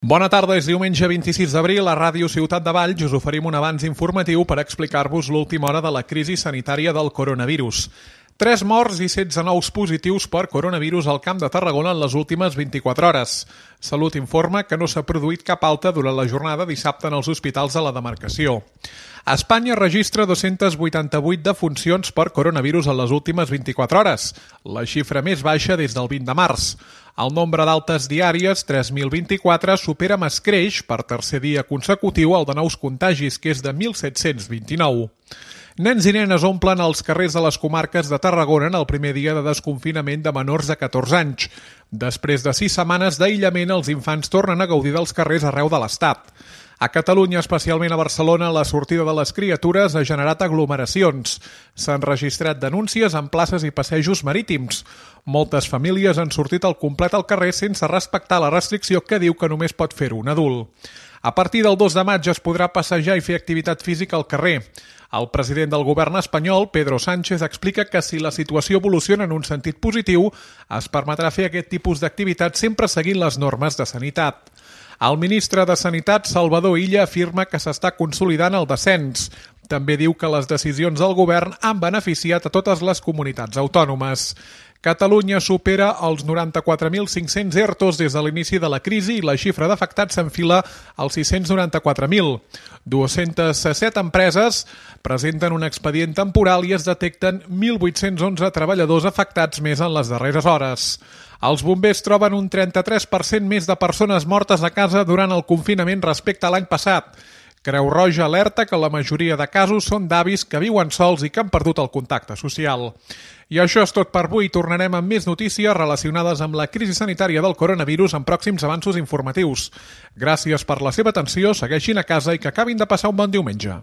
Bona tarda, és diumenge 26 d'abril. A Ràdio Ciutat de Valls us oferim un avanç informatiu per explicar-vos l'última hora de la crisi sanitària del coronavirus. 3 morts i 16 nous positius per coronavirus al Camp de Tarragona en les últimes 24 hores. Salut informa que no s'ha produït cap alta durant la jornada dissabte en els hospitals de la demarcació. Espanya registra 288 defuncions per coronavirus en les últimes 24 hores, la xifra més baixa des del 20 de març. El nombre d'altes diàries, 3.024, supera amb escreix per tercer dia consecutiu el de nous contagis, que és de 1.729. Nens i nenes omplen els carrers de les comarques de Tarragona en el primer dia de desconfinament de menors de 14 anys. Després de 6 setmanes d'aïllament, els infants tornen a gaudir dels carrers arreu de l'Estat. A Catalunya, especialment a Barcelona, la sortida de les criatures ha generat aglomeracions. S'han registrat denúncies en places i passejos marítims. Moltes famílies han sortit al complet al carrer sense respectar la restricció que diu que només pot fer-ho un adult. A partir del 2 de maig es podrà passejar i fer activitat física al carrer. El president del govern espanyol, Pedro Sánchez, explica que si la situació evoluciona en un sentit positiu, es permetrà fer aquest tipus d'activitat sempre seguint les normes de sanitat. El ministre de Sanitat, Salvador Illa, afirma que s'està consolidant el descens. També diu que les decisions del govern han beneficiat a totes les comunitats autònomes. Catalunya supera els 94.500 ERTOs des de l'inici de la crisi i la xifra d'afectats s'enfila als 694.000. 207 empreses presenten un expedient temporal i es detecten 1.811 treballadors afectats més en les darreres hores. Els bombers troben un 33% més de persones mortes a casa durant el confinament respecte a l'any passat. Creu Roja alerta que la majoria de casos són d'avis que viuen sols i que han perdut el contacte social. I això és tot per avui. Tornarem amb més notícies relacionades amb la crisi sanitària del coronavirus en pròxims avanços informatius. Gràcies per la seva atenció, segueixin a casa i que acabin de passar un bon diumenge.